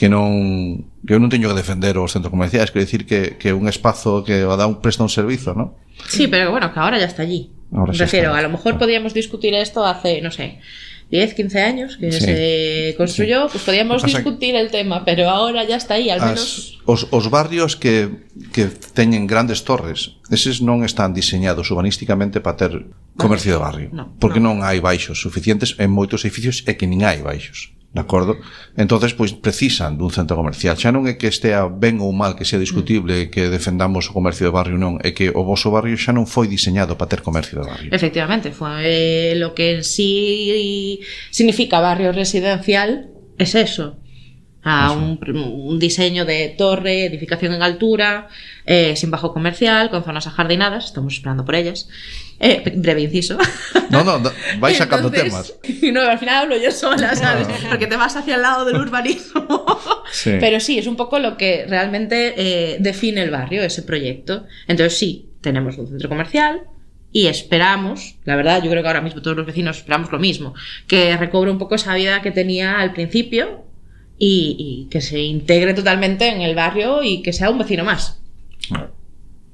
non teño que defender os centros comerciais, quero dicir que un espazo que presta un servizo, ¿no? Sí, pero bueno, que ahora ya está allí. Refiero, a lo mejor podíamos discutir esto hace, no sé, 10, 15 años que se construyó, pues podíamos discutir el tema, pero ahora ya está aí, al menos. Os barrios que teñen grandes torres, eses non están diseñados urbanísticamente para ter comercio de barrio, porque non hai baixos suficientes en moitos edificios e que nin hai baixos. De acordo? Entonces, pois, precisan dun centro comercial. Xa non é que estea ben ou mal, que sea discutible, que defendamos o comercio de barrio, non. É que o voso barrio xa non foi diseñado para ter comercio de barrio. Efectivamente, foi lo que en sí significa barrio residencial, es eso. Un diseño de torre, edificación en altura, sin bajo comercial, con zonas ajardinadas, estamos esperando por ellas. Breve inciso. No, vais sacando temas. No, al final hablo yo sola, ¿sabes? Porque te vas hacia el lado del urbanismo. Sí. Pero sí, es un poco lo que realmente define el barrio, ese proyecto. Entonces sí, tenemos un centro comercial y esperamos, la verdad, yo creo que ahora mismo todos los vecinos esperamos lo mismo, que recobre un poco esa vida que tenía al principio y que se integre totalmente en el barrio y que sea un vecino más.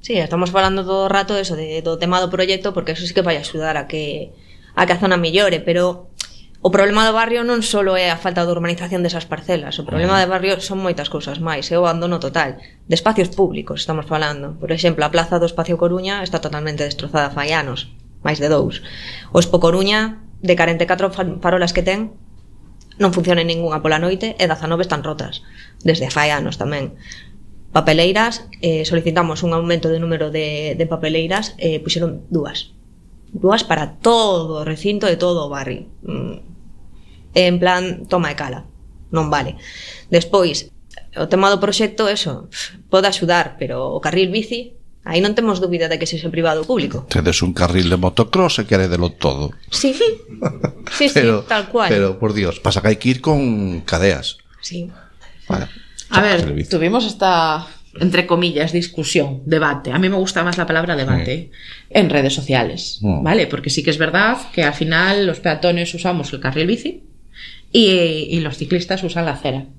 Sí, estamos falando todo o rato eso do tema do proxecto, porque eso sí que vai axudar a que a zona mellore, pero o problema do barrio non só é a falta de urbanización desas parcelas, o problema do barrio son moitas cousas máis, é o abandono total de espacios públicos, estamos falando. Por exemplo, a plaza do Espacio Coruña está totalmente destrozada fai anos, máis de 2. O Expo Coruña, de 44 farolas que ten, non funciona ningunha pola noite e 19 están rotas, desde fai anos tamén. Papeleiras, solicitamos un aumento de número de papeleiras, puxeron dúas para todo o recinto de todo o barrio, en plan toma e cala, non vale. Despois, o tema do proxecto, eso pode axudar, pero o carril bici, aí non temos dúbida de que sexe privado ou público. Tedes un carril de motocross e queredelo todo. Sí, pero, tal cual. Pero, por Dios, pasa que hai que ir con cadeas. Sí. Vale. A ver, tuvimos esta, entre comillas, discusión, debate. A mí me gusta más la palabra debate en redes sociales, ¿vale? Porque sí que es verdad que al final los peatones usamos el carril bici y los ciclistas usan la acera.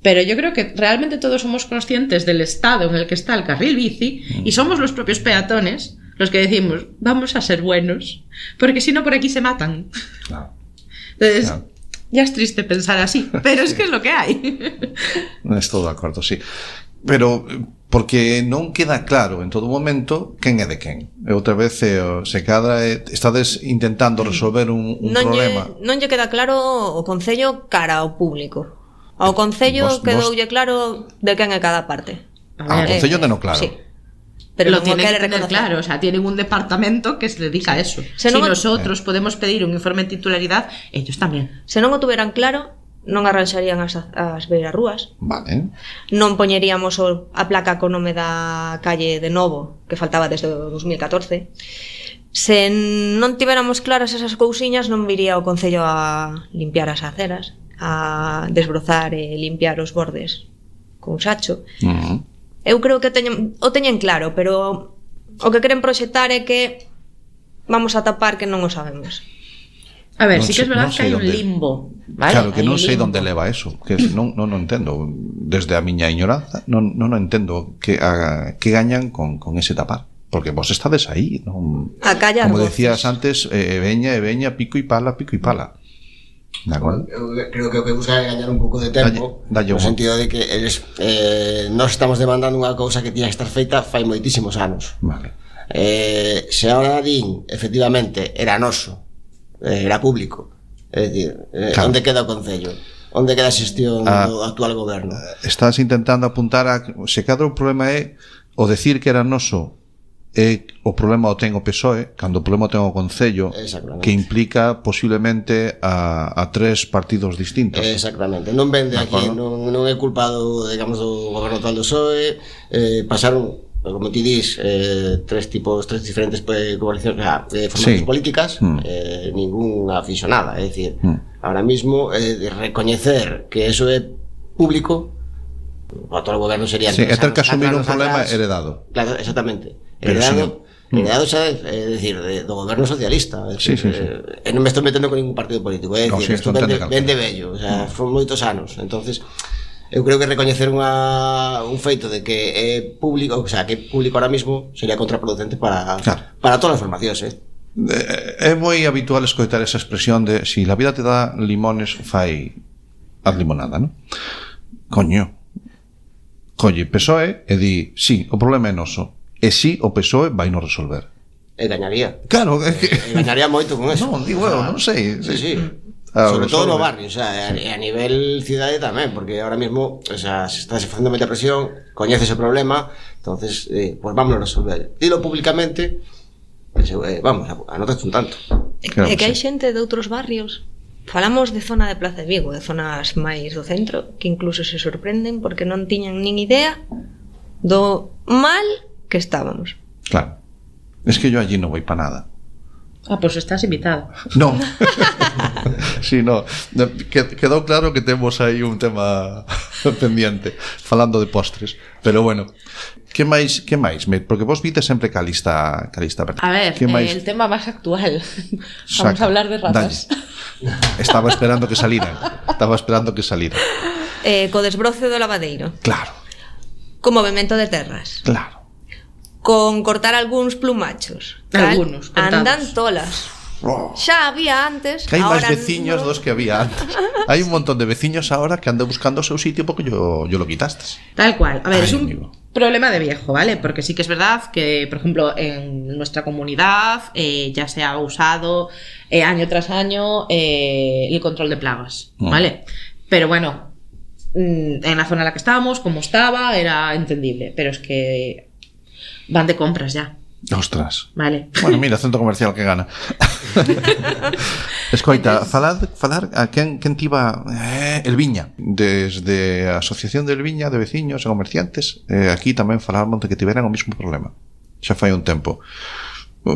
Pero yo creo que realmente todos somos conscientes del estado en el que está el carril bici y somos los propios peatones los que decimos, vamos a ser buenos, porque si no por aquí se matan. Claro. Entonces... Claro. Ya es triste pensar así, pero es que es lo que hay. Estou de acordo, sí. Pero porque non queda claro en todo momento quen é de quen. E outra vez se cadra estades intentando resolver un problema. Non lle queda claro o concello cara ao público. Ao concello quedoulle claro de quen é cada parte. Ao concello teno claro. Sí. Pero lo tienen que tener claro, o sea, tienen un departamento que se dedica a eso. Si nosotros podemos pedir un informe de titularidad, ellos tamén. Se non o tuveran claro, non arranxarían as beirarrúas. Vale. Non poñeríamos a placa co nome da calle de novo, que faltaba desde o 2014. Se non tiveramos claras esas cousiñas, non viría o concello a limpiar as aceras, a desbrozar e limpiar os bordes con sacho. Eu creo que o teñen claro, pero o que queren proxectar é que vamos a tapar que non o sabemos. A ver, sí que es verdad que hai un limbo, ¿vale? Claro, que non sei onde leva eso, que non entendo, desde a miña ignoranza, non entendo que gañan con ese tapar, porque vos estades aí, non? A callar como voces. Decías antes, veña, pico e pala. De acordo? Eu creo que o que busca é gañar un pouco de tempo, no sentido de que eles nós estamos demandando unha cousa que tiña que estar feita fai moitísimos anos. Vale. Se ahora din, efectivamente, era noso, era público, é dicir, claro. Onde queda o concello? Onde queda a xestión do actual goberno? Estás intentando apuntar a se cadra o problema é o decir que era noso e o problema o ten o PSOE, cando o problema o ten o Concello, que implica posiblemente a tres partidos distintos. Exactamente, non vende aquí, non é culpado, digamos, do goberno tal do PSOE, pasaron como ti dis, tres diferentes coalicións, formacións políticas, ningún aficionada, é dicir, ahora mismo recoñecer que eso é público, o todo o goberno sería é ter que asumir un problema heredado. Claro, exactamente. Heredado xa, é dicir, do goberno socialista, e non me estou metendo con ningún partido político, é dicir, isto ven de vello, o sea, son moitos anos, entonces eu creo que recoñecer un feito de que é público, o sea, que é público ahora mismo sería contraproducente para todas as formacións, É moi habitual escoitar esa expresión de si la vida te dá limones, fai haz limonada, non? Coño, colle PSOE e di, sí, o problema é noso. E si o PSOE vai non resolver. E gañaría. Claro, gañaría moito con eso. Non, digo eu, non sei. Sí. Sobre todo no barrio, o sea, a nivel cidade tamén, porque ahora mismo, o sea, se está facendo moita presión, coñece ese problema, entonces, pues vamos a resolver. Dilo públicamente, vamos, anotaste un tanto. É que hai xente de outros barrios. Falamos de zona de Plaza de Vigo, de zonas máis do centro, que incluso se sorprenden porque non tiñan nin idea do mal que estábamos. Claro. Es que yo allí no voy para nada. Pues estás invitado. No. Sí, no. Quedou claro que temos aí un tema pendiente falando de postres, pero bueno. Que máis? Porque vos vite sempre ca lista verdad. A ver, el tema máis actual. Vamos a hablar de ratas. Estaba esperando que salieran. Co desbroce do lavadeiro. Claro. Co movemento de terras. Claro. Con cortar algúns plumachos. Algunos, andan tolas. Xa había antes. Que hai máis veciños dos que había antes. Hai un montón de veciños ahora que andan buscando o seu sitio porque yo lo quitaste. Tal cual. A ver, es un problema de viejo, ¿vale? Porque sí que es verdad que, por ejemplo, en nuestra comunidad ya se ha usado año tras año el control de plagas, ¿vale? Pero bueno, en la zona en la que estábamos, como estaba, era entendible. Pero es que van de compras ya. Ostras. Vale. Bueno, mira, centro comercial que gana. Escoita, falar a quen tiba el Viña, desde a Asociación del Viña de Veciños e Comerciantes, aquí tamén falarmos de que tiveran o mesmo problema. Xa fai un tempo.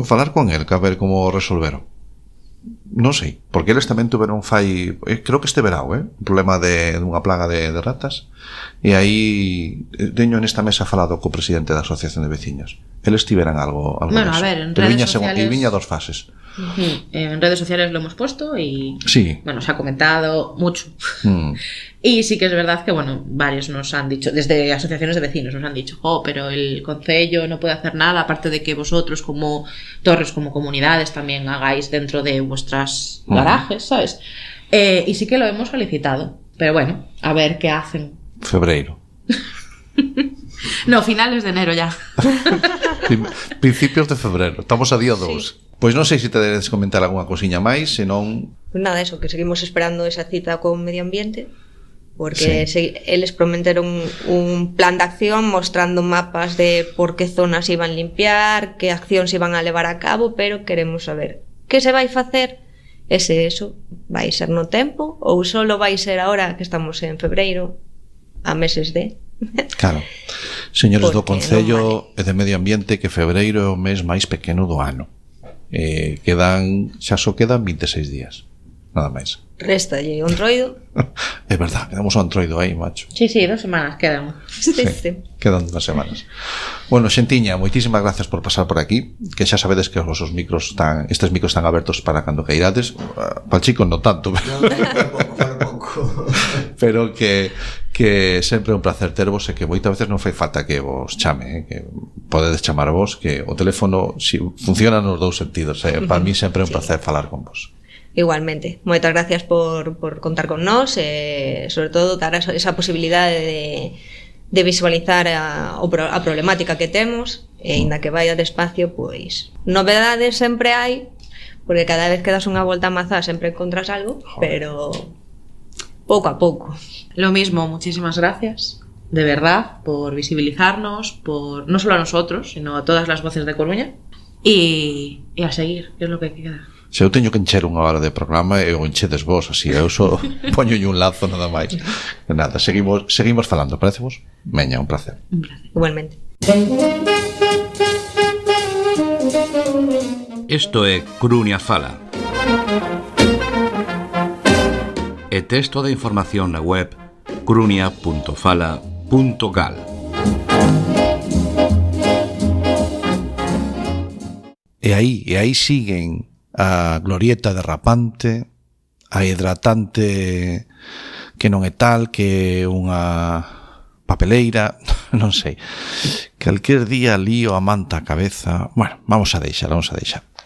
Falar con el, que a ver como resolveron. Non sei, porque eles tamén tuveron creo que este verao, un problema de unha plaga de ratas, e aí teño nesta mesa falado co presidente da Asociación de Veciños. Eles tiveran algo bueno, deso. A ver, en redes sociales... El Viña dos fases. En redes sociales lo hemos puesto y sí. Bueno, se ha comentado mucho. Y sí que es verdad que, bueno, varios nos han dicho, desde asociaciones de vecinos nos han dicho, pero el concello no puede hacer nada, aparte de que vosotros como torres, como comunidades también hagáis dentro de vuestras garajes, ¿sabes? Y sí que lo hemos solicitado, pero bueno, a ver qué hacen. Febreiro. No, finales de enero ya. Principios de febrero, estamos a día 2. Sí. Pois non sei se te dedes comentar algunha cosiña máis, senón... Pues nada, eso, que seguimos esperando esa cita con Medio Ambiente, porque eles prometeron un plan de acción mostrando mapas de por que zonas iban limpiar, que accións iban a levar a cabo, pero queremos saber que se vai facer, eso vai ser no tempo ou solo vai ser agora que estamos en febreiro, a meses de... Claro. Señores do Concello e de Medio Ambiente, que febreiro é o mes máis pequeno do ano. Xa só quedan 26 días, nada máis. Réstalle o entroido. É verdad, quedamos o entroido aí, macho. Sí, 2 semanas quedan. Sí. Quedan 2 semanas. Bueno, xentiña, moitísimas gracias por pasar por aquí, que xa sabedes que os micros estes micros están abertos para cando queirades. Para Chico non tanto, pero que sempre é un placer tervos e que moitas veces non fai falta que vos chame, que podedes chamar vos, que o teléfono funciona nos dous sentidos, para mí sempre é un placer falar con vos. Igualmente, moitas gracias por contar con nós e sobre todo dar esa posibilidade de visualizar a problemática que temos e inda que vaya despacio, pois novedades sempre hai, porque cada vez que das unha volta a mazá sempre encontras algo, pero pouco a pouco. Lo mismo, muchísimas gracias, de verdad, por visibilizarnos, por no solo a nosotros, sino a todas las voces de Coruña, y a seguir, que es lo que queda. Se eu teño que encher unha hora de programa e o enchedes vos, así, eu só poño un lazo nada máis. Nada, seguimos falando, parece vos? Veña, un placer. Igualmente. Isto é Crunia Fala. E texto de información na web crunia.fala.gal. E aí siguen a glorieta derrapante, a hidratante que non é tal, que é unha papeleira, non sei. Calquer día lío a manta a cabeza. Bueno, vamos a deixar.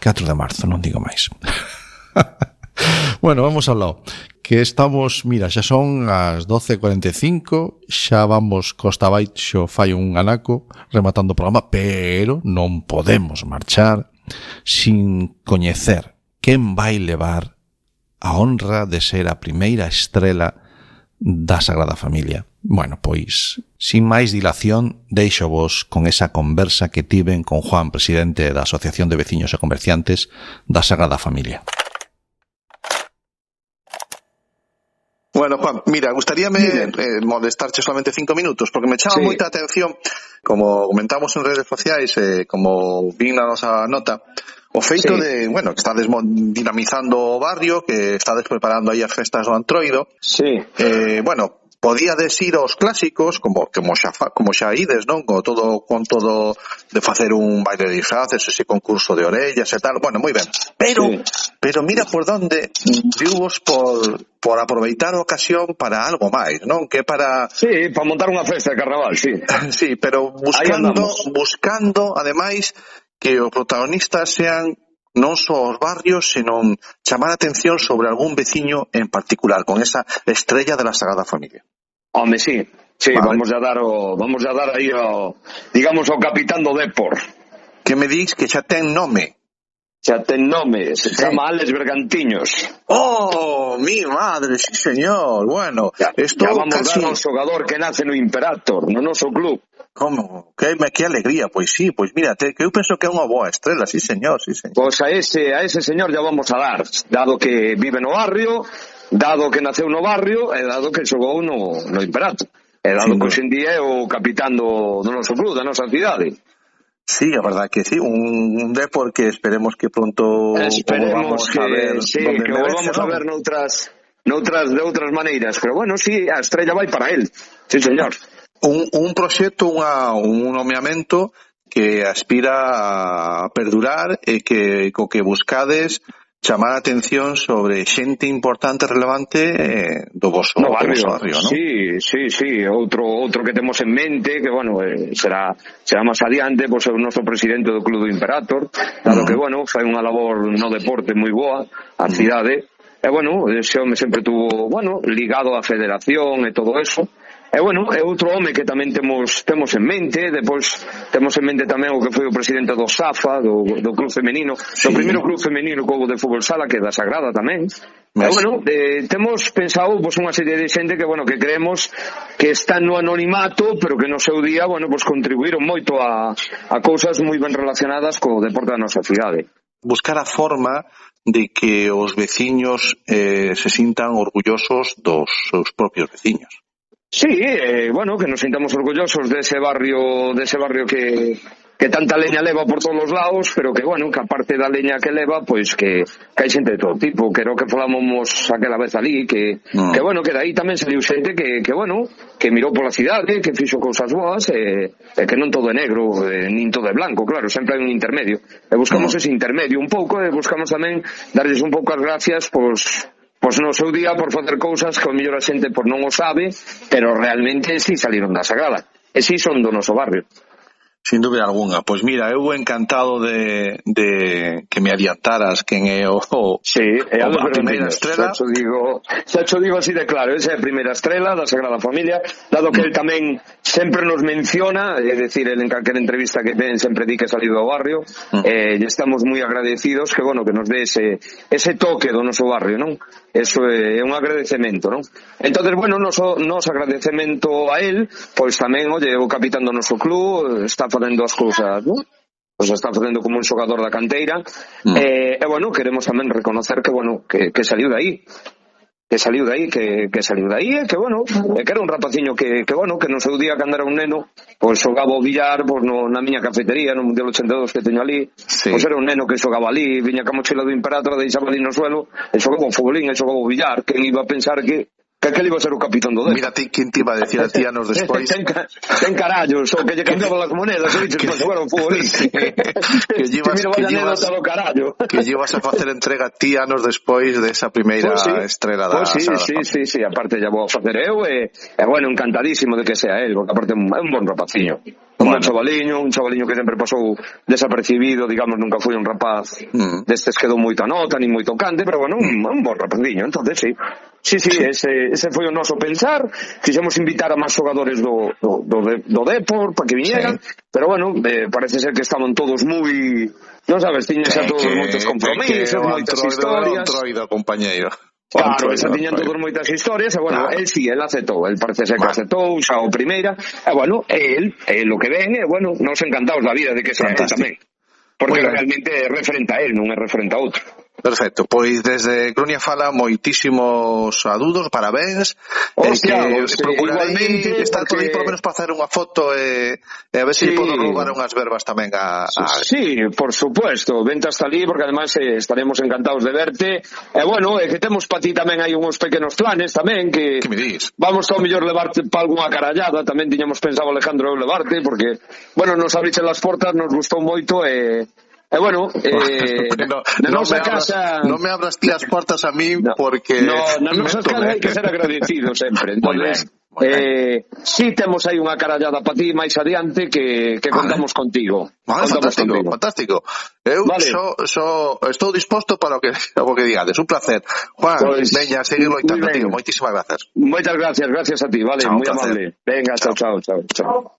4 de marzo, non digo máis. Bueno, vamos ao lado. Que estamos, mira, xa son as 12:45, xa vamos costa abaixo, fai un anaco rematando o programa, pero non podemos marchar sin coñecer quen vai levar a honra de ser a primeira estrela da Sagrada Familia. Bueno, pois, sin máis dilación, deixo vos con esa conversa que tiven con Juan, presidente da Asociación de Veciños e Comerciantes da Sagrada Familia. Bueno, Juan, mira, gustaríame molestarche solamente 5 minutos, porque me chama moita atención, como comentamos en redes sociais, como vin na nosa nota, o feito de, bueno, que estades dinamizando o barrio, que estades preparando aí as festas do Antroido. Sí. Bueno, podíades ir aos clásicos, como xa ides, non? Con todo de facer un baile de disfraces, ese concurso de orellas e tal. Bueno, moi ben. Pero mira por donde viuvos por aproveitar a ocasión para algo máis, non? Que para... Sí, para montar unha festa de carnaval, sí. Sí, pero buscando, ademais, que os protagonistas sean non só os barrios, senón chamar a atención sobre algún veciño en particular, con esa estrella de la Sagrada Familia. Home, sí, vale. vamos a dar aí ao, digamos, ao capitán do Depor. Que me dis que xa ten nome. Xa ten nome, se chama Alex Bergantiños. Oh, mi madre, sí señor. Bueno, esto vamos casi... dar ao xogador que nace no Imperator, no noso club. Como? Que alegría, pois sí, pois mírate, que eu penso que é unha boa estrela, sí señor. Pois a ese señor ya vamos a dar, dado que vive no barrio, dado que naceu no barrio, e dado que xogou no Imperator. E dado que hoxe en día é o capitán do noso club, da nosa cidade. Sí, a verdad que sí, un Depor que esperemos que pronto volvamos a ver, que volvamos a ver de outras maneiras, pero bueno, sí, a estrella vai para él. Sí, señor. Un proxecto, un nomeamento que aspira a perdurar e que co que buscades chamar a atención sobre xente importante e relevante do vosso barrio, ¿no? Sí, outro que temos en mente, que bueno, será máis adiante, pois é o noso presidente do Club do Imperator, dado que bueno, fai unha labor no deporte moi boa a cidade, e bueno, ese home sempre tuvo, bueno, ligado á federación e todo eso. E bueno, é outro home que tamén temos en mente. Depois temos en mente tamén o que foi o presidente do SAFA, do club femenino, do primeiro club femenino que houve de fútbol sala, que é da Sagrada tamén. E bueno, temos pensado unha serie de xente que bueno, que creemos que están no anonimato, pero que no seu día, bueno, pues contribuíron moito a cousas moi ben relacionadas co deporte da nosa cidade. Buscar a forma de que os veciños se sintan orgullosos dos seus propios veciños. Sí, bueno, que nos sintamos orgullosos dese barrio que tanta leña leva por todos os lados, pero que, bueno, que aparte da leña que leva, pois que hai xente de todo tipo, que era o que falamos aquela vez ali, que bueno, que daí tamén saliu xente que bueno, que mirou pola cidade, que fixo cousas boas, e que non todo é negro, nin todo é blanco, claro, sempre hai un intermedio. E buscamos ese intermedio un pouco, e buscamos tamén darles un pouco as gracias, pois no seu día por facer cousas que o mellor a xente non o sabe, pero realmente sí saliron da Sagrada, e sí son do noso barrio. Sin dúbida alguna. Pois mira, eu encantado de que me adiantaras quen é a primeira estrela. Xa cho digo así de claro, esa é a primeira estrela da Sagrada Familia, dado que el tamén sempre nos menciona, é dicir, el en calquera entrevista que ven sempre di que é salido do barrio, e estamos moi agradecidos que, bueno, que nos dé ese toque do noso barrio, non? Eso é un agradecemento, non? Entonces, bueno, noso agradecemento a él, pois tamén, oye, o capitán do noso club está facendo as cousas, non? Pois está facendo como un xogador da canteira, e bueno, queremos tamén reconocer que, bueno, que saliu de aí. saliu de aí, que bueno, que era un rapaciño que bueno, que no seu día cando era un neno, pois xogaba o billar pois na miña cafetería no Mundial 82 que teño ali, pois era un neno que xogaba ali, viña ca mochila do Imperator, deixaba ali no suelo, e xogaba o futbolín, e xogaba o billar, quen iba a pensar que aquel iba a ser o capitán do Depor. Mira ti, quen te iba a decir a ti anos despois. Ten carallos, o que lle cambiaban as monedas, e dices, pois agora o futbolista. Que llevas a facer entrega ti anos despois desa primeira estrela da Sagrada. Sí, aparte ya vou a facer eu, e bueno, encantadísimo de que sea él, porque aparte é un bon rapaciño. Un chavaliño que sempre pasou desapercibido, digamos, nunca foi un rapaz destes que dou moita nota, ni moito cante, pero bueno, un bon rapaciño, entonces sí, ese foi o noso pensar. Quixemos invitar a máis xogadores do Depor para que viñeran, pero bueno, parece ser que estaban todos moi, non sabes, tiñen xa todos moitos compromisos, moitas historias. Troido, compañeiro. Claro, xa tiñan todos moitas historias, e bueno, él aceptou, él parece ser que aceptou xa o primeira, e bueno, él o que ven, e bueno, nos encantados da vida de que sea tamén, porque realmente é referente a él, non é referente a outro. Perfecto, pois desde Crunia Fala moitísimos saúdos, parabéns. Procurarei estar por aí por lo menos para facer unha foto e a ver se podo roubar unhas verbas tamén a... Sí, por supuesto, vente hasta ali porque además estaremos encantados de verte. E bueno, que temos para ti tamén hai uns pequenos planes tamén que me dis? Vamos ao mellor levarte para algunha carallada, tamén tiñamos pensado Alejandro levarte porque, bueno, nos abriche las portas, nos gustou moito e bueno, na nosa casa... Non me abras ti as portas a mí porque... Na nosa casa hai que ser agradecido sempre. Entonces, si temos aí unha carallada para ti máis adiante que contamos contigo. Fantástico. Eu estou disposto para o que digades. Un placer. Juan, veña, seguir loitando, tío. Moitísimas grazas. Moitas gracias a ti, vale, moi amable. Venga, chao.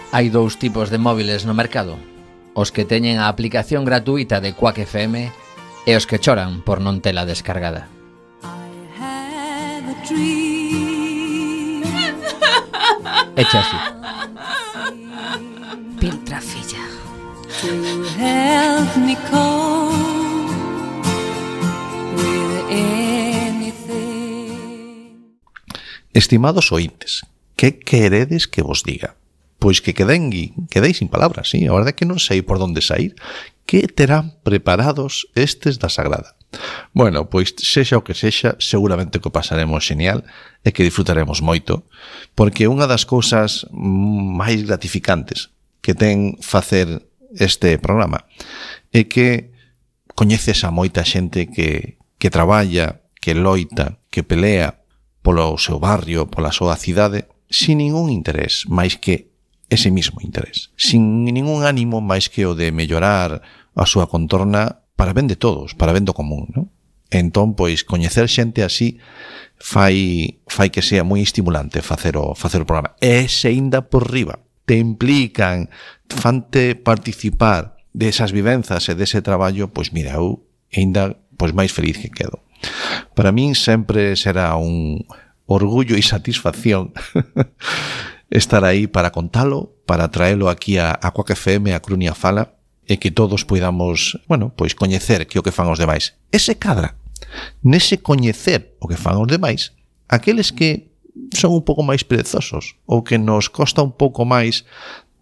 Hai dous tipos de móviles no mercado: os que teñen a aplicación gratuita de Quack FM e os que choran por non tela descargada. Echa así. Piltra, filla. Estimados ointes, que queredes que vos diga? Pois que quedei sin palabras, sí, a verdade é que non sei por onde sair. Que terán preparados estes da Sagrada? Bueno, pois sexa o que sexa, seguramente que o pasaremos genial e que disfrutaremos moito, porque unha das cousas máis gratificantes que ten facer este programa é que coñeces a moita xente que traballa, que loita, que pelea polo seu barrio, pola súa cidade, sin ningún interés máis que ese mismo interés, sin ningún ánimo máis que o de mellorar a súa contorna para ben de todos, para ben do común, non? Entón, pois, coñecer xente así fai que sea moi estimulante facer o programa. E se ainda por riba te implican, fante participar desas vivenzas e dese traballo, pois mira, eu ainda pois máis feliz que quedo. Para min sempre será un orgullo e satisfacción estar aí para contalo, para traelo aquí a Quack FM, a Crunia Fala, e que todos poidamos, bueno, pois coñecer que o que fan os demais. Ese cadra, nese coñecer o que fan os demais, aqueles que son un pouco máis perezosos, ou que nos costa un pouco máis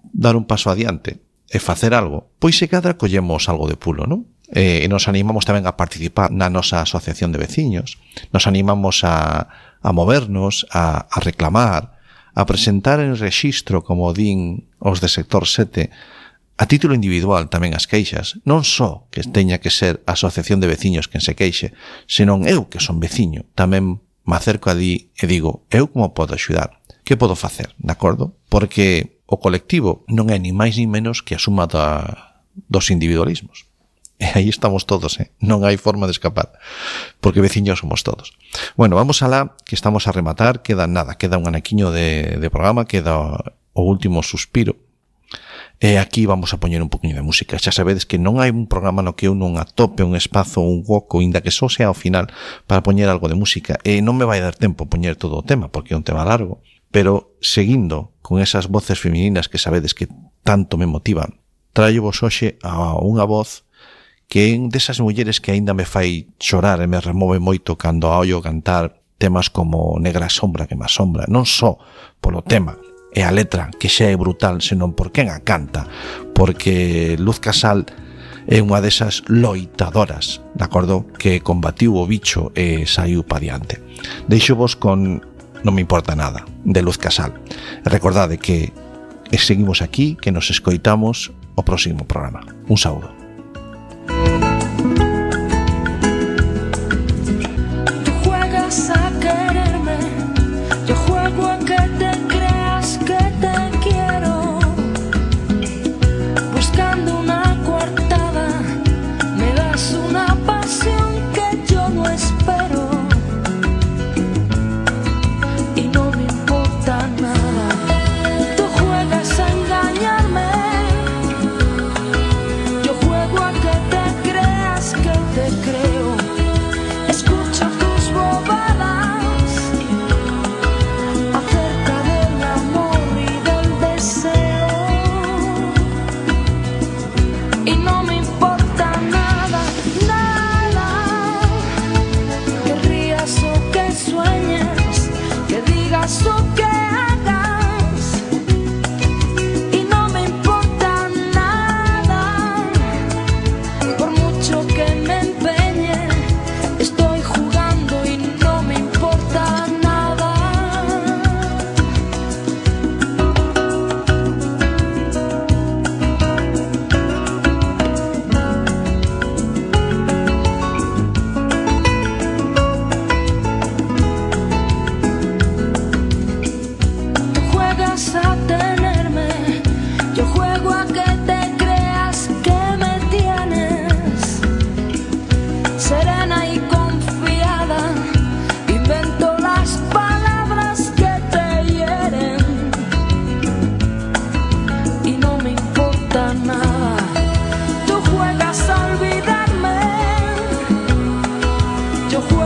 dar un paso adiante e facer algo, pois se cadra collemos algo de pulo, non? E nos animamos tamén a participar na nosa asociación de veciños, nos animamos a movernos, a reclamar, a presentar en rexistro, como din os de sector 7, a título individual tamén as queixas, non só que teña que ser a asociación de veciños quen se queixe, senón eu que son veciño, tamén me acerco a di e digo, eu como podo axudar? Que podo facer, de acordo? Porque o colectivo non é ni máis ni menos que a suma dos individualismos. E aí estamos todos, non hai forma de escapar, porque veciños somos todos. Bueno, vamos alá, que estamos a rematar, queda un anaquiño de programa, queda o último suspiro, e aquí vamos a poñer un poquinho de música. Xa sabedes que non hai un programa no que eu non atope un espazo, un hueco, inda que só sea ao final, para poñer algo de música, e non me vai dar tempo poñer todo o tema, porque é un tema largo, pero seguindo con esas voces femininas que sabedes que tanto me motivan, traio vos hoxe a unha voz que é desas mulleres que aínda me fai chorar e me remove moito cando a ollo cantar temas como Negra sombra que me asombra, non só polo tema e a letra que xa é brutal, senón por quen a canta, porque Luz Casal é unha desas loitadoras, de acordo, que combatiu o bicho e saiu pa diante. Deixo vos con Non me importa nada, de Luz Casal. Recordade que seguimos aquí, que nos escoitamos o próximo programa. Un saúdo. Tú juegas a quererme, yo juego a que te creas que te quiero. Buscando una coartada, me das una pasión que yo no espero.